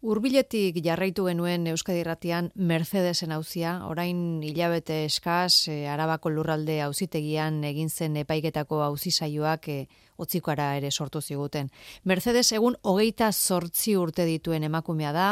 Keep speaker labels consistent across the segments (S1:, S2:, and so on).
S1: Hurbiletik jarraitu genuen Euskadi Irratian Mercedesen auzia, orain hilabete eskaz Arabako lurralde auzitegian egin zen epaiketako auzi saioak otzikara ere sortu ziguten. Mercedes egun 28 urte dituen emakumea da,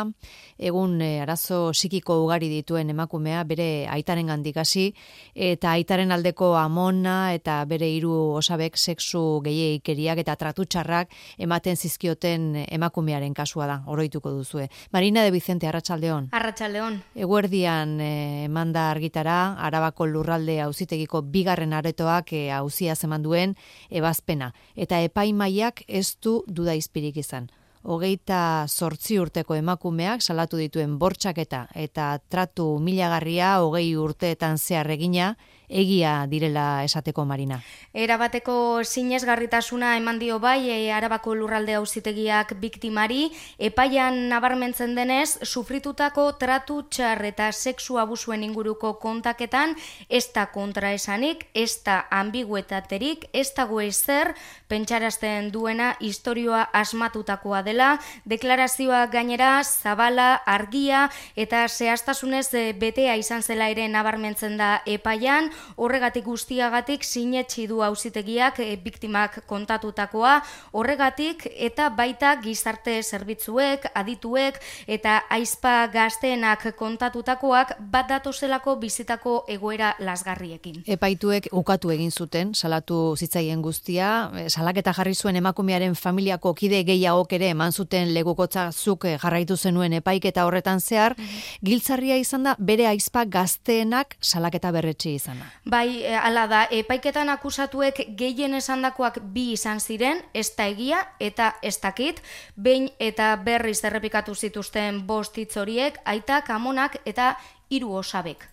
S1: egun arazo psikiko ugari dituen emakumea, bere aitarengandik hasi eta aitaren aldeko amona eta bere 3 osabek sexu gehiegikeriak eta tratu txarrak ematen zizkioten emakumearen kasua da, oroituko duzu. Marina de Vicente, arratsaldeon.
S2: Arratsaldeon.
S1: Eguerdian emanda argitara, Arabako lurralde auzitegiko 2. aretoak auzia eman duen ebazpena. Eta epaimaiak ez du duda izpirik izan. 28 urteko emakumeak salatu dituen bortxaketa eta tratu humilagarria 20 urteetan zehar egina, egia direla esateko, Marina.
S2: Erabateko sinesgarritasuna eman dio bai Arabako lurralde auzitegiak biktimari, epaian nabarmentzen denez, sufritutako tratu txar eta sexu abusuen inguruko kontaketan, ez da kontraesanik, ez da ambiguetaterik, ez dago ezer, pentsarazten duena istorioa asmatutakoa dela, deklarazioa gainera zabala, argia eta zehaztasunez betea izan zela ere nabarmentzen da epaian. Horregatik guztiagatik sinetsi du auzitegiak biktimak kontatutakoa, horregatik eta baita gizarte zerbitzuek, adituek eta aizpa gazteenak kontatutakoak bat datozelako bizitako egoera lasgarriekin.
S1: Epaituek ukatu egin zuten, salatu zitzaien guztia, salaketa jarri zuen emakumearen familiako kide gehiagok ere eman zuten legukotza zuk jarraitu zenuen epaiketa horretan zehar, giltzarria izan da bere aizpa gazteenak salaketa berretsi izana.
S2: Bai, hala da, epaiketan akusatuek gehien esandakoak 2 izan ziren, ez da egia eta ez dakit, behin eta berriz errepikatu zituzten 5 hitz horiek, aitak, amonak eta 3 osabek.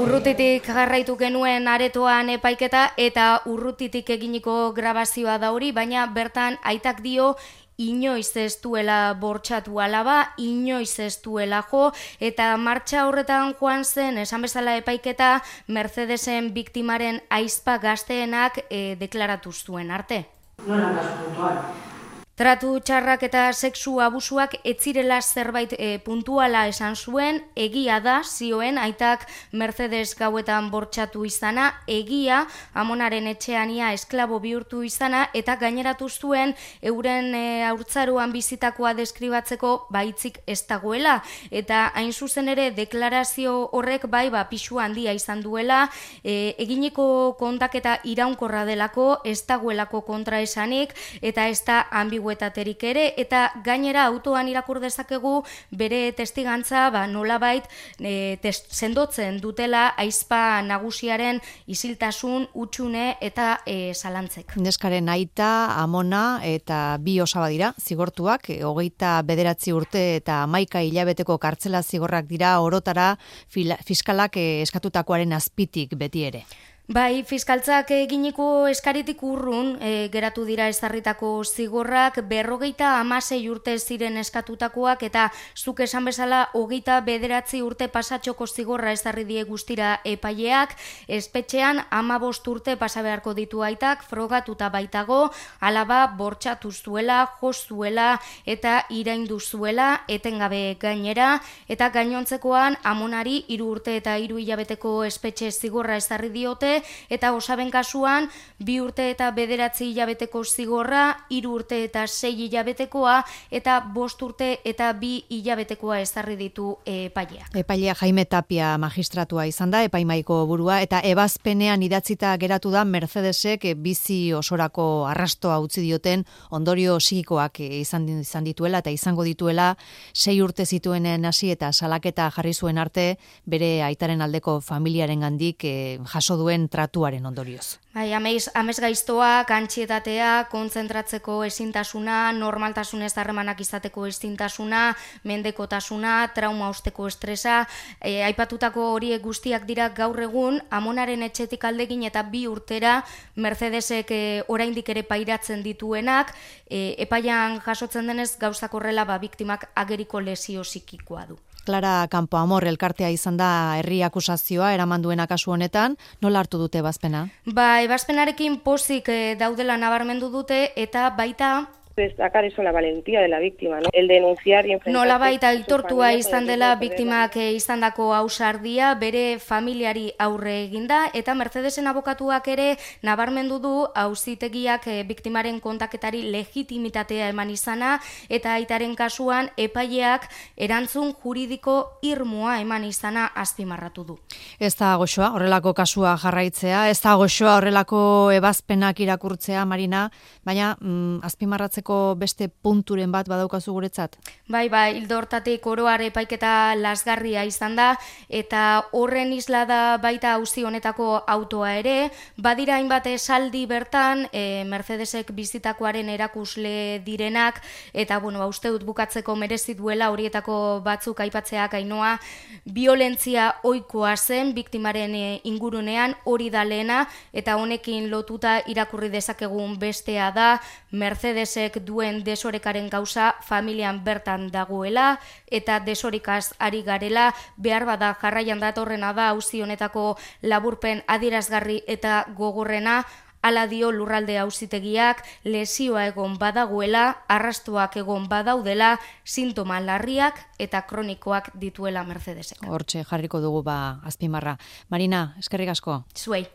S2: Urrutitik jarraitu genuen aretoan epaiketa eta urrutitik eginiko grabazioa da hori, baina bertan aitak dio inoiz ez duela bortxatu alaba, inoiz ez duela jo, eta martxa horretan joan zen, esan bezala epaiketa, Mercedesen biktimaren aizpa gazteenak deklaratu zuen arte.
S3: Nola kasu puntual?
S2: Tratu txarrak eta sexu abusuak etzirela zerbait puntuala esan zuen, egia da, zioen, aitak Mercedes gauetan bortxatu izana, egia, amonaren etxeania esklabo bihurtu izana, eta gaineratu zuen euren haurtzaroan bizitakoa deskribatzeko baitzik ez dagoela, eta hain zuzen ere deklarazio horrek bai pisu handia izan duela, eginiko kontaketa iraunkorra delako, ez dagoelako kontraesanik, eta ez da ambiguetaterik ere, eta gainera autoan irakur dezakegu bere testigantza nolabait sendotzen dutela aizpa nagusiaren isiltasun, hutsune eta zalantzek.
S1: Neskaren aita, amona eta 2 osaba dira, zigortuak, 29 urte eta 11 hilabeteko kartzela zigorrak dira orotara fiskalak eskatutakoaren azpitik beti ere.
S2: Bai, fiskaltzak eginiko eskaritik urrun geratu dira ezarritako zigorrak, 56 urte ziren eskatutakoak eta zuk esan bezala 29 urte pasatxoko zigorra ezarri die guztira epaileak, espetxean 15 urte pasa beharko ditu aitak, frogatuta baitago, alaba bortxatu zuela, jo zuela eta iraindu zuela, etengabe gainera, eta gainontzekoan amonari 3 urte eta 3 hilabeteko espetxe zigorra ezarri diote, eta osaben kasuan 2 urte eta 9 hilabeteko zigorra, 3 urte eta 6 hilabetekoa eta 5 urte eta 2 hilabetekoa ezarri ditu epailea.
S1: Epailea Jaime Tapia magistratua izan da, epaimaiko burua, eta ebazpenean idatzita geratu da Mercedesek bizi osorako arrastoa utzi dioten ondorio psikikoak izan dituela eta izango dituela 6 urte zituenen hasi eta salaketa jarri zuen arte bere aitaren aldeko familiarengandik jaso duen tratuaren ondorioz.
S2: Bai, amesgaiztoak, antsietatea, kontzentratzeko ezintasuna, normaltasunez harremanak izateko ezintasuna, mendekotasuna, trauma osteko estresa, aipatutako horiek guztiak dira gaur egun amonaren etxetik aldegin eta 2 urtera Mercedesek oraindik ere pairatzen dituenak, epaian jasotzen denez gauzak horrela biktimak ageriko lesio psikikoa du.
S1: Clara Campoamor elkartea izan da herri akusazioa eraman duena kasu honetan, nola hartu dute ebazpena?
S2: Ebazpenarekin pozik daudela nabarmendu dute eta baita
S3: destacar eso, la valentía de la víctima, ¿no? El denunciar y enfrentarse.
S2: Nolabait aitortua izan dela biktimak izandako ausardia, bere familiari aurre eginda, eta Mercedesen abokatuak ere nabarmendu du auzitegiak biktimaren kontaketari legitimitatea eman izana, eta aitaren kasuan epaileak erantzun juridiko irmoa eman izana azpimarratu du.
S1: Ez da goxoa horrelako kasua jarraitzea, ez da goxoa horrelako ebazpenak irakurtzea, Marina, baina azpimarratzeko beste punturen bat badaukazu guretzat?
S2: Bai, ildo hortatik oroar epaiketa lasgarria izan da, eta horren isla da baita auzi honetako autoa ere, badira hainbat esaldi bertan, Mercedesek bizitakoaren erakusle direnak, eta uste dut bukatzeko merezi duela horietako batzuk aipatzeak Ainoa, violentzia ohikoa zen biktimaren ingurunean, hori da lehena, eta honekin lotuta irakurri dezakegun bestea da, Mercedesek duen desorekaren gauza familian bertan dagoela, eta desorikaz ari garela, behar bada jarraian datorrena da auzi honetako laburpen adierazgarri eta gogorrena, hala dio lurralde auzitegiak, lesioa egon badagoela, arrastoak egon badaudela, sintoma larriak eta kronikoak dituela Mercedesek.
S1: Hortxe jarriko dugu azpimarra. Marina, eskerrik asko.
S2: Zuei.